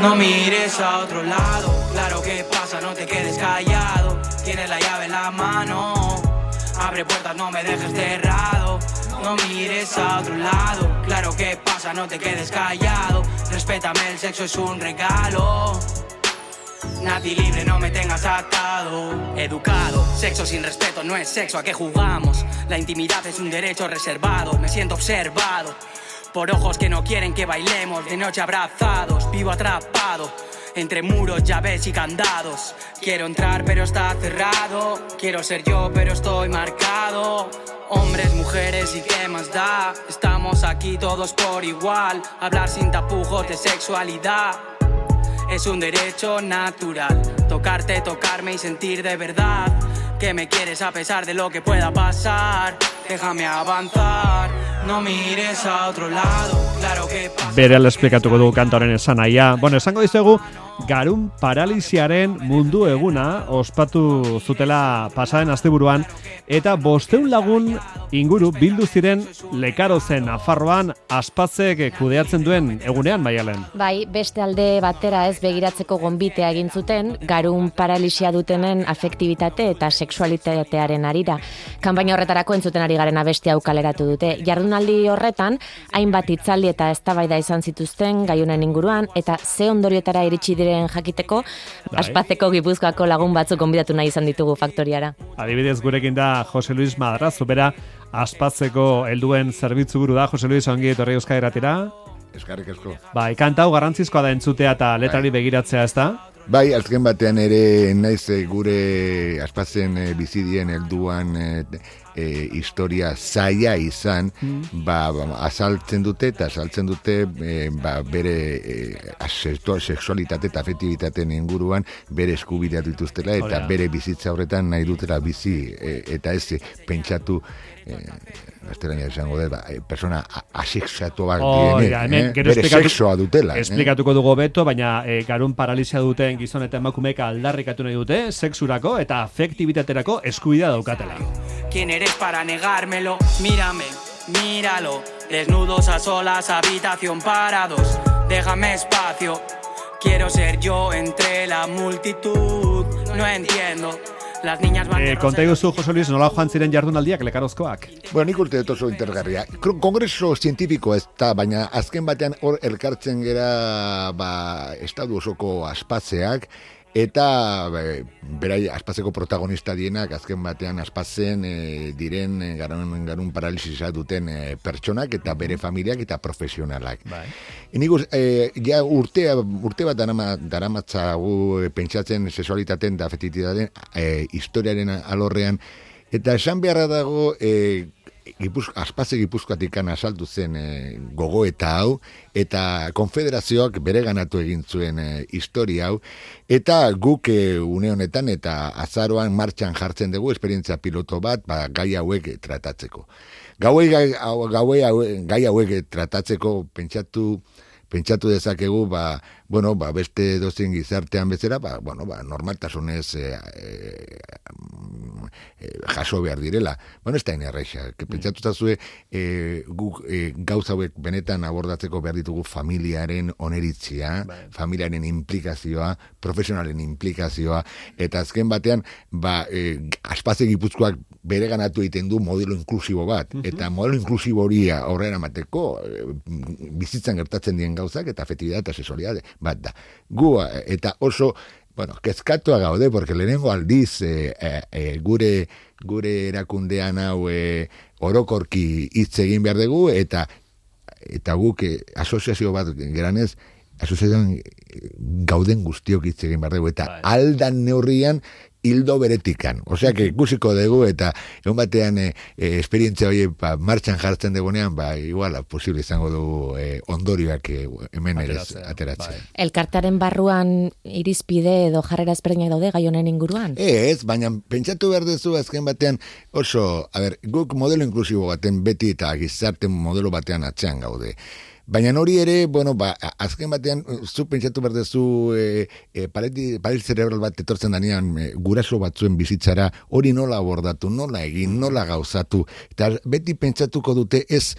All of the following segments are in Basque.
No mires a otro lado, claro que pasa, no te quedes callado. Tienes la llave en la mano, abre puertas, no me dejes cerrado. No mires a otro lado, claro que pasa, no te quedes callado. Respétame, el sexo es un regalo. Nadie libre, no me tengas atado. Educado, sexo sin respeto no es sexo, ¿a qué jugamos? La intimidad es un derecho reservado, me siento observado por ojos que no quieren que bailemos de noche abrazados. Vivo atrapado entre muros, llaves y candados. Quiero entrar pero está cerrado. Quiero ser yo pero estoy marcado. Hombres, mujeres y qué más da. Estamos aquí todos por igual. Hablar sin tapujos de sexualidad es un derecho natural. Tocarte, tocarme y sentir de verdad que me quieres a pesar de lo que pueda pasar. Déjame avanzar, no mires a otro lado. Claro que pasa. Berehala esplikatuko dugu kantoren esanahia. Bueno, esango dizuegu garun paralisiaren mundu eguna ospatu zutela pasaden asteburuan eta 500 lagun inguru bildu ziren Lekarozen Nafarroan Aspazek kudeatzen duen egunean, Maialen. Bai, beste alde batera ez begiratzeko gonbitea egin zuten garun paralisia dutenen afektibitate eta sexualitatearen arira. Kanpaina horretarako entzuten ari garen abesti hau kaleratu dute. Jardunaldi horretan hainbat hitzaldi eta eztabaida izan zituzten gaiunen inguruan eta ze ondorioetara iritsi diren jakiteko Aspazeko Gipuzkoako lagun batzuk gonbidatu nahi izan ditugu faktoriara. Adibidez gurekin da Jose Luis Madrazo, bera Aspazeko helduen zerbitzu buru da. Jose Luis, ongi etorri Euskadi Irratira. Eskerrik asko. Bai, kanta hau garrantzizkoa da entzutea eta letrari begiratzea, ezta? Bai, azken batean ere naiz gure Aspazen bizidien helduan historia zaila izan, azaltzen dute bere sexualitate eta afektibitateen inguruan bere eskubideak dituztela eta bere bizitza horretan nahi dutela bizi eta ez pentsatu gaztelania esango dut, persona asexuatuak direnek, bere sexoa dutela. Esplikatuko dugu beto, baina garun paralisia duten gizon eta emakumeek aldarrikatu nahi dute sexurako eta afektibitaterako eskubidea daukatela. ¿Quién eres para negármelo? Mírame, míralo. Desnudos a solas, habitación parados. Déjame espacio. Quiero ser yo entre la multitud. No entiendo. Las niñas van konta iguzu, Jose Luis, nola joan ziren jardunaldiak Lekarozkoak? Bueno, nik uste dut oso interesgarria. Kongreso zientifiko ez da, baina azken batean hor elkartzen gera estadu osoko Aspatzeak, eta berai Aspazeko protagonista dienak azken batean Aspazen diren garun paralisisa duten pertsonak eta bere familiak eta profesionalak. Nik ja urte bat daramatzagu pentsatzen sexualitateen eta afektibitateen historiaren alorrean, eta esan beharra dago Aspaze Gipuzkoatikan asaldu zen gogoeta hau, eta konfederazioak bere ganatu egin zuen historia hau, eta guk une honetan eta azaroan martxan jartzen dugu esperientzia piloto bat gai hauek tratatzeko. Gai hauek tratatzeko pentsatu dezakegu, beste dozen gizartean bezala, normaltasunez jaso behar direla. Ez da inerreixa. Pentsatu zazue, guk gauza hauek benetan abordatzeko behar ditugu familiaren oneritzia, familiaren implikazioa, profesionalen implikazioa, eta azken batean, Aspaze Gipuzkoak bere ganatu egiten du modelo inklusibo bat, eta modelo inklusibo hori aurrera emateko bizitzan gertatzen dien gauzak eta afektibitatea eta sexualidade bat da. Gu eta oso kezkatua gaude, porque lehenengo aldiz gure erakundean hau orokorki hitz egin behar dugu, eta guk asoziazio bat geranez, asoziazioan gauden guztiok hitz egin behar dugu, eta aldan neurrian hildo beretikan. Osea, ikusiko dugu, eta egun batean esperientzia hori martxan jartzen dugunean, igual, posible izango dugu ondorioak hemen ere ateratzen. Elkartearen barruan irizpide edo jarrera ezberdinak daude gai honen inguruan? Ez, baina pentsatu behar duzu azken batean oso, guk modelo inklusibo baten beti eta gizarte modelo batean atzean gaude. Baina hori ere, bueno, azken batean, zu pentsatu berdezu paret cerebral bat etortzen danean guraso batzuen bizitzara, hori nola abordatu, nola egin, nola gauzatu, eta beti pentsatuko dute ez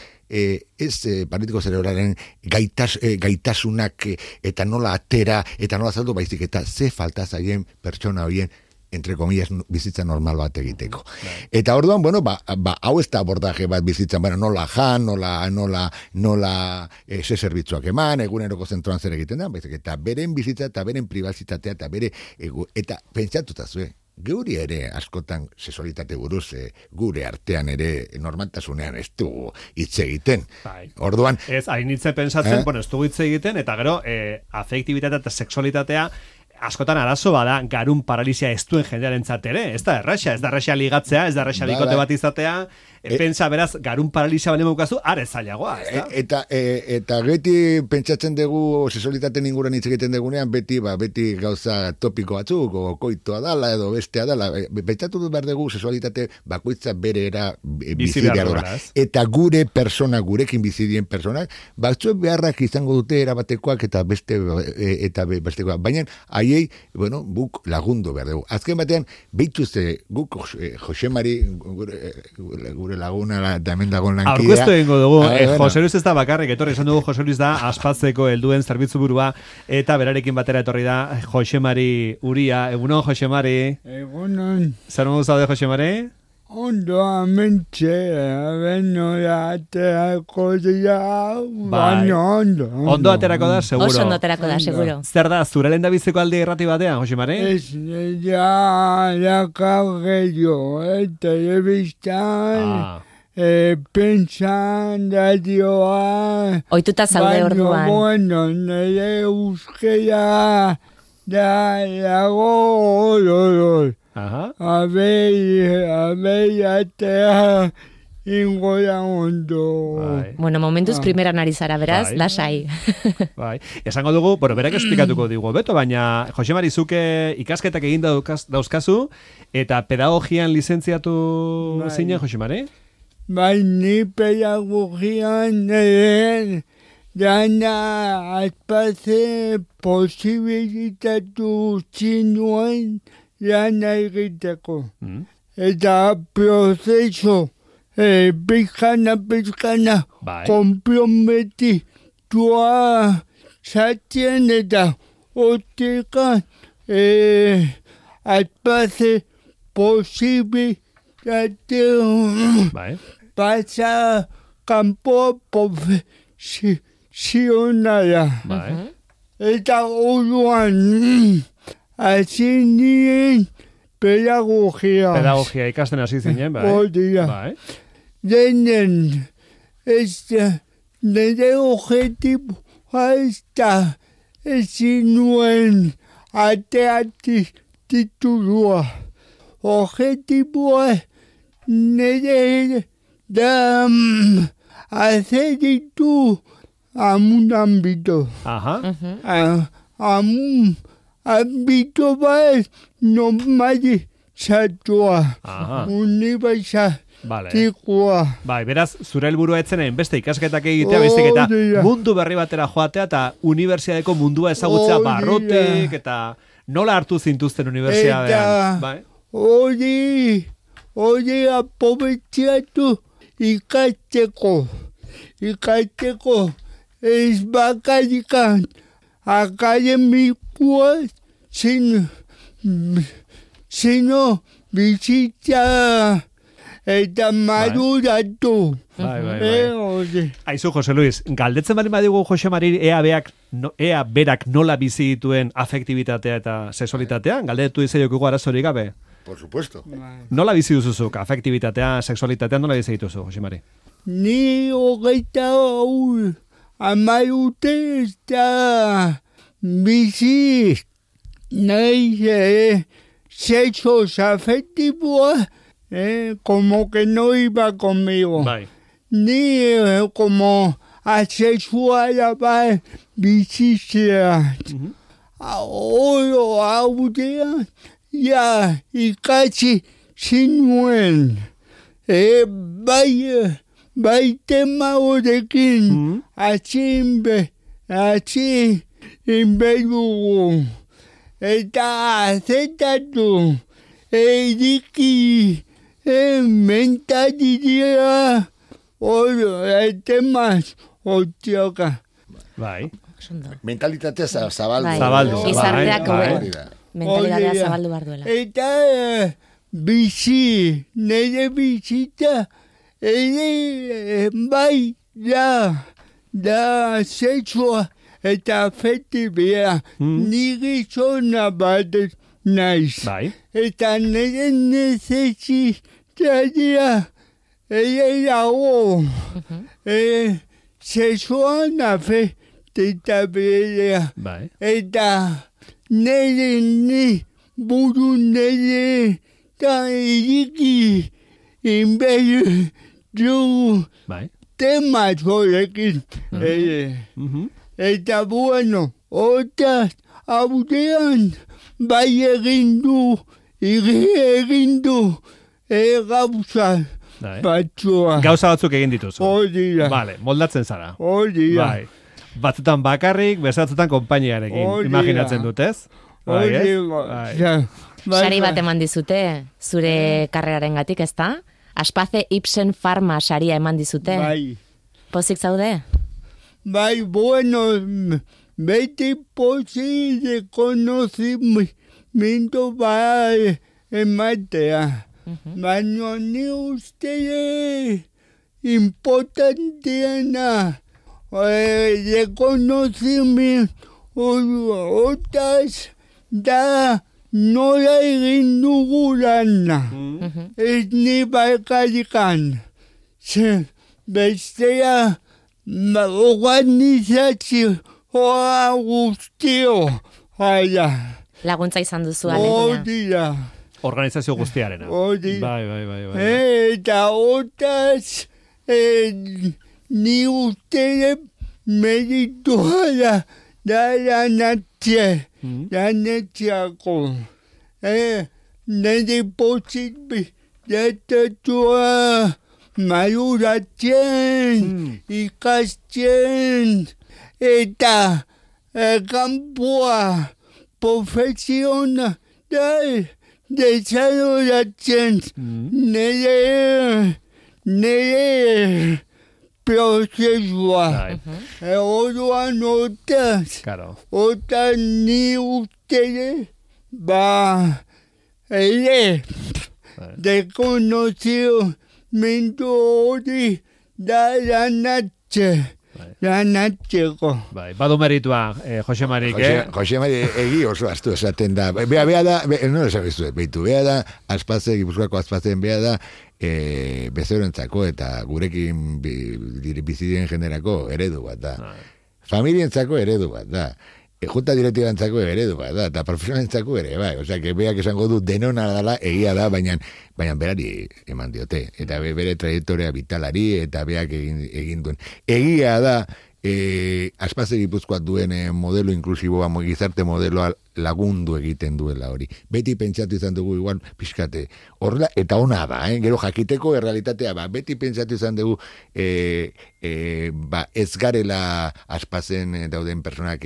paretiko zerebralaren gaitasunak eta nola atera, eta nola zaldu baizik, eta ze falta zaien pertsona horien entre comillas, bizitza normal bat egiteko. Eta orduan, bueno, hau ez da abordaje bat bizitzan, nola jan, nola ze zerbitzuak eman, eguneroko zentroan zer egiten da, baizik, eta beren bizitza, eta beren pribazitatea, eta pentsatuta zuen, geuri ere askotan sexualitate buruz, gure artean ere normaltasunean ez dugu hitz egiten. Orduan... Ez, hain hitze pensatzen, ez dugu hitz egiten, eta gero, afektibitatea eta sexualitatea askotan arazo bada garun paralisia ez duen jendearentzat ere, ez da erraxa ligatzea, ez da erraxa bikote bat izatea, pentsa beraz garun paralisia bale maukazu, are zailagoa, ez da? Eta beti pentsatzen dugu sexualitateen inguruan hitz egiten dugunean, beti gauza topiko batzuk, o koitoa dala edo bestea dala, pentsatu dut behar dugu sexualitate bakoitza bere era bizi behar dela. Eta gure persona, gurekin bizidien personak, batzuek beharrak izango dute erabatekoak eta bestekoak, baina haiei, bueno, guk lagundu behar dugu. Azken batean, behituzte guk Josemari, gure laguna eta hemen dagoen lankidea. Aurkeztu egingo dugu, Jose Luis ez da bakarrik, etorri esan dugu Jose Luis da aspatzeko helduen zerbitzu burua, eta berarekin batera etorri da Josemari Uria. Egunon, Josemari. Egunon. Zer modu zaude, Josemari? Ondo amentxe, nola aterako dira, baina ondo. Ondo aterako da, seguro. Oso ondo aterako da, seguro. Zer da, zure lehen da biziko aldi errati batean, Josemari? Ez, la cargueyo, telebistan, pentsan radioa. Oituta zaude orduan. Bueno, nire euskera da lago oloror. Abei ingo da ondo. Bueno, momentuz primeran ari zara, beraz, lasai. Esango dugu, berak esplikatuko digu beto, baina Josemari zuke ikasketak egin dauzkazu, eta pedagogian lizentziatu zinen, Josemari? Bai, ni pedagogian dana azpaze posibilitatu zinuen lana egiteko. Eta prozeso pizkana komprometitua zaten eta otekan azpaze posibilitate pasa kanpo profesionala. Eta orduan hasi nien pedagogia. Pedagogia ikasten hasi zinen, bai. Bai. Denen, nire objetiboa ez da ezin nuen ateati titulua. Objetiboa nire da hacer ditu amun ámbito. Amun ámbito bat normalizatua. Unibertsatikoa. Bai, beraz, zure helburua etzenen beste ikasketak egitea, baizik eta mundu berri batera joatea eta unibertsiadeko mundua ezagutzea barrotek eta nola hartu zintuzten unibertsiadean. Bai. Hori aprobetxatu ikasteko ez bakarikan akademikoa sino bizitza eta maduratu. Aizu, Jose Luis, galdetzen bali badigu Josemari ea berak nola bizi dituen afektibitatea eta sexualitatea? Galdetu izaiok arazorik gabe? Por supuesto. Nola bizi duzuzuk, afektibitatea, sexualitatea, nola bizi dituzu, Josemari? Ni hogeita amairute ez da bizi nahi sexos afectivos, como que no iba conmigo. Ni como asexual ba bizitzea. Ahora ikasi zinuen. bai tema horrekin, atxin inbedugu, eta azetatu, eriki, mentalidia, temaz, otioka. Bai. Mentalitatea zabaldu. Zabaldu. Gizarteak mentalitatea zabaldu behar duela. Eta bizi, nire bizita, bai, da sexua eta afektibia, nire zona bat naiz. Bai. Eta nire nezesitatea, dago, sexuan afektibia. Bai. Eta nire buru nire da eriki inbedu dugu temat horrekin. Eta bueno, otaz hautean bai egin du gauza batzua. Gauza batzuk egin dituzu. Hori da. Vale, moldatzen zara. Hori da. Bai. Batzutan bakarrik, bezatzutan konpainiarekin. Imaginatzen dut, ez? Hori da. Sari bat eman dizute, zure karreraren gatik, ez da? Aspace Ipsen Pharma saria eman dizute. Bai. Pozik zaude? Bai, bueno, beti pozik reconocimiento bai ematea. Baina ni uste importanteana reconocimiento otaz da nola egin dugu lana. Ez ni baikarikan. Bestea organizazioa guztio. Laguntza izan duzu alegia. Hori da. Organizazio guztiarena. Hori. Bai. Eta otaz ni uste meritua da lanatxeako. Nire posibitatua maduratzen, ikasten, eta kanpoa profesional desarrollatzen nire prozesua. Orduan otaz ni uste ere reconocimiento hori da lanatzeko. Badu meritua, Jose Marik, Jose Marik egi oso astu esaten da. Bea da, no esabizu, beitu, bea da, Gipuzkoako Aspazeen bea da, bezeroentzako eta gurekin bizidien generako eredu bat da. Familientzako eredu bat da. Junta direktibantzako eredu bat da, eta profesionalentzako ere, bai. Osea, que beak esango du denona dela, egia da, baina berari eman diote. Eta bere trajektoria vitalari, eta beak egin duen. Egia da, Aspaze Gipuzkoak duen modelo inklusiboa, gizarte modeloa lagundu egiten duela hori. Beti pentsatu izan dugu igual pixkate. Horrela, eta ona da, gero jakiteko errealitatea, beti pentsatu izan dugu ez garela Aspazen dauden personak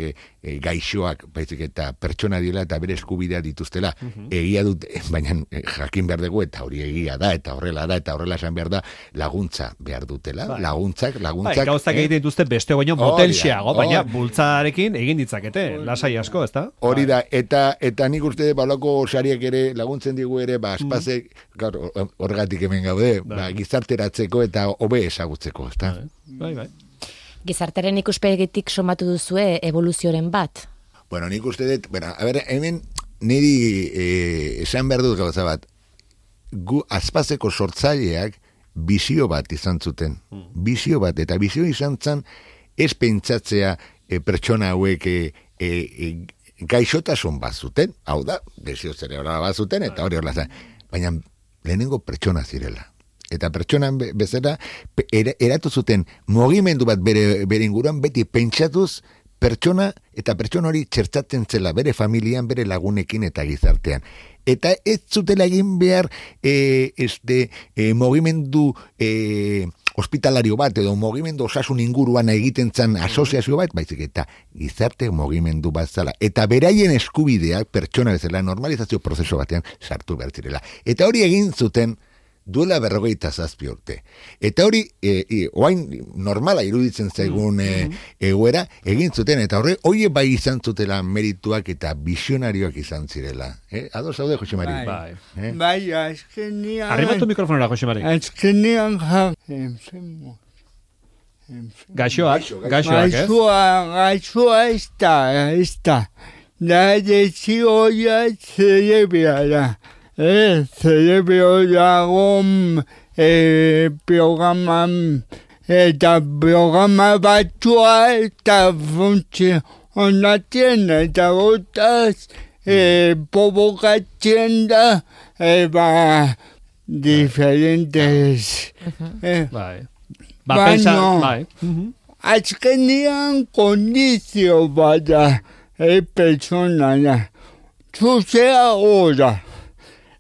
gaixoak, baizik eta pertsona diela eta bere eskubidea dituztela. Egia dut, baina jakin behar dugu, eta hori egia da, eta horrela esan behar da, laguntza behar dutela. Laguntzak. Gauzak egiten dituzte beste baino motelxeago, baina bultzarekin egin ditzakete, lasai asko, ezta? Hori da, eta nik uste balako sariak ere laguntzen digu ere, Aspazek, horregatik hemen gaude, gizarteratzeko eta hobe ezagutzeko, ezta? Bai. Gizarteren ikuspegitik somatu duzue evoluzioren bat? Bueno, nik uste dut, hemen niri esan behar dut gauza bat, gu Aspazeko sortzaileak bizio bat izan zuten. Bizio bat, eta bizio izan zen ez pentsatzea pertsona hauek gaixotasun bat zuten, hau da, desio zerebral bat zuten, eta hori horla zen. Baina lehenengo pertsona zirela. Eta pertsonan bezala eratu zuten mugimendu bat bere inguruan beti pentsatuz pertsona eta pertsona hori txertatzen zela bere familian, bere lagunekin eta gizartean. Eta ez zutela egin behar mugimendu hospitalario bat edo mugimendu osasun inguruan egiten zan asoziazio bat, baizik eta gizarte mugimendu bat zala. Eta beraien eskubideak pertsona bezala normalizazio prozesu batean sartu behar zirela. Eta hori egin zuten duela 47 urte. Eta hori, oain normala iruditzen zaigun egoera, egin zuten, eta hori bai izan zutela merituak eta visionarioak izan zirela. Ados zaude, Jose Mari? Bai, azkenean... Arrimatu mikrofonera, Jose Mari. Azkenean enfermo. Gaixoak, Gaixoa ez da. Da desioia zerebeala. Cerebro dago programan eta programa batzua eta funtzionatzen eta gotaz provokatzen da diferentes baina azkenean kondizio bada personala zuzea ora.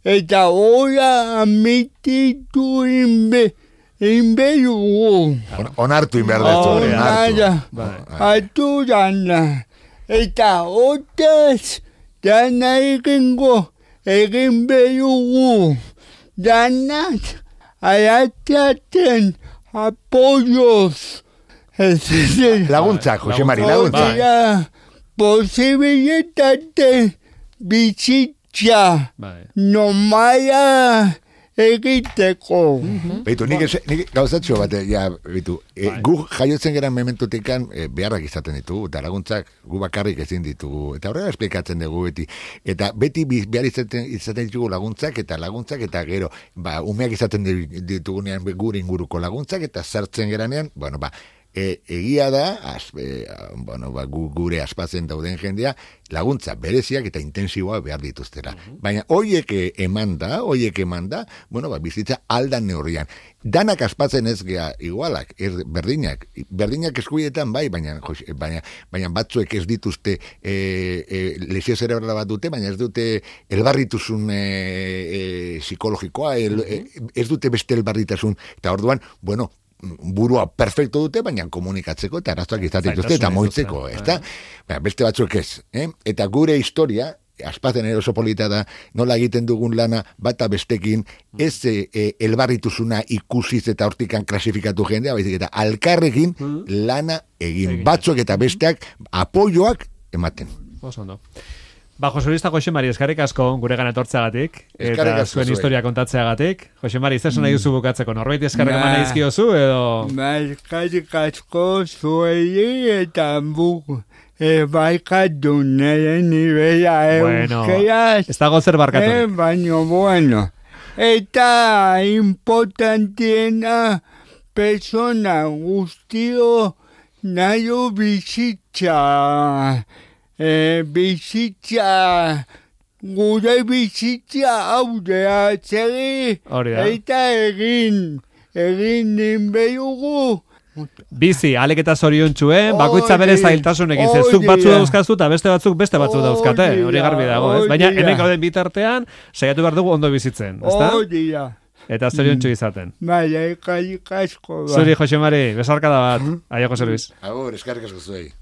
Eta ora amititu inberugu. Onartu inberdezu. Atu dana. Eta otaz dana egin berugu. Danak ayataten apoyos. Laguntzak, Jose Mari, laguntzak. Posibilitate bizit nomala egiteko. Beitu, nik gauzatxo bat, gu jaiotzen geran mementutekan beharrak izaten ditugu, eta laguntzak gu bakarrik ezin ditugu, eta horrela esplikatzen dugu beti. Eta beti behar izaten ditugu laguntzak, eta gero, umeak izaten ditugunean gure inguruko laguntzak, eta sartzen geranean, egia da, gure aspatzen dauden jendea, laguntza bereziak eta intensiboa behar dituztera. Baina hoiek emanda, bizitza aldan neurrian. Danak aspatzen ez gea igualak, berdinak eskubidetan baina batzuek ez dituzte lesio zerebrala bat dute, baina ez dute elbarrituzun psikologikoa, ez dute beste elbarritasun, eta orduan, burua perfecto dute, baina komunikatzeko eta arazoak izaten dituzte eta moitzeko, ezta? Beste batzuk ez, Eta gure historia, aspatzen eroso polita da, nola egiten dugun lana bata bestekin, ez elbarrituzuna ikusiz eta hortikan klasifikatu jendea, baizik eta alkarrekin lana egin. Batzuk eta besteak apoioak ematen. Osondo. Jose Luis eta Jose Mari, eskarrik asko gure gana etortzeagatik eta zuen historia kontatzeagatik. Jose Mari, zer nahi duzu bukatzeko? Norbait eskarrik eman nahi izkiozu edo? Eskarrik asko zuei eta barkatu nire nivela euskeraz. Ez dago zer barkatu. Baina, eta importantiena persona guztio nahi bizitza. Bizitza gure bizitza aurrea zeri eta egin ninberugu. Bizi, alek eta zoriontxuen, bakoitza bere zailtasunekin, zuk batzu dauzkazu eta beste batzu dauzkate, hori garbi dago, ez? Baina hemen gauden bitartean, saiatu behar dugu ondo bizitzen, ezta? Eta zoriontxu izaten. Eskarrik asko. Zuri, Jose Mari, besarkada bat. Aio, Jose Luis. Agur, eskarrik asko zuei.